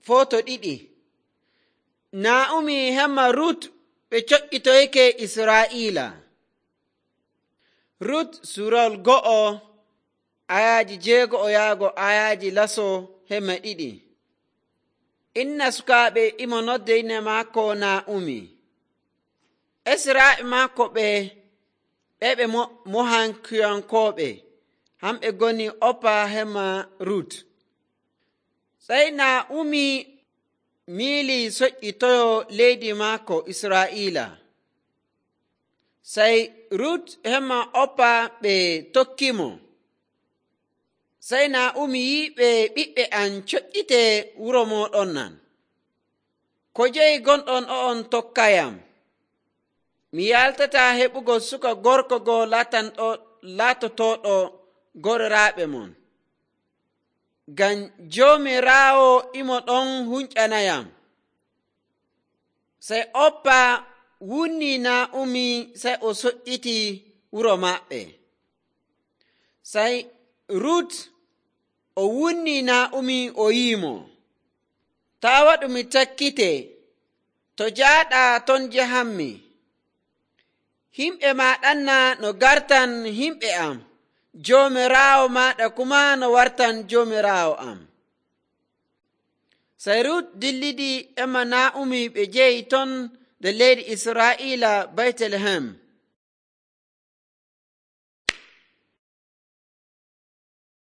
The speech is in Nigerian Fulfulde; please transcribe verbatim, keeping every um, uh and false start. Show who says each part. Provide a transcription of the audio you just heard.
Speaker 1: Foto ɗiɗi. Naa'umi hemma Rut ɓe coƴƴitoyke Israa'iila. Rut suurawol go'o ayaaji jeego'o yaago ayaaji laso hemma ɗiɗi. Inna sukaaɓe imo nodde inde maako Naa'umi. Esiraaɓe maako ɓe ɓe ɓe Mohankiyankooɓe, hamɓe ngoni Oppa hemma Rut. Sey Naa'umi miili soƴƴitoyo leydi maako Israa'iila. Sey Rut hemma Oppa ɓe tokkimo. Sey Naa'umi yii ɓe ɓiɓɓe am coƴƴite wuro mooɗon nan. Ko jeyi gonɗon o'on tokkayam? Mi yaltataa heɓugo suka gorko goo laatotooɗo gororaaɓe mon. Ngam Joomiraawo imo ɗon hunƴanayam. Sey Oppa wunnii Naa'umi sey o soƴƴiti wuro maɓɓe. Sey Rut o wunnii Naa'umi o yi'imo, taa waɗu mi takkite, to jaaɗaa ton njahanmi. Himɓe maaɗanna no gartan himɓe am, Joomiraawo maaɗa kumaa no wartan Joomiraawo am. Sey Rut dillidi emma Naa'umi ɓe jehi ton nder leydi Israa'iila Baytelehem.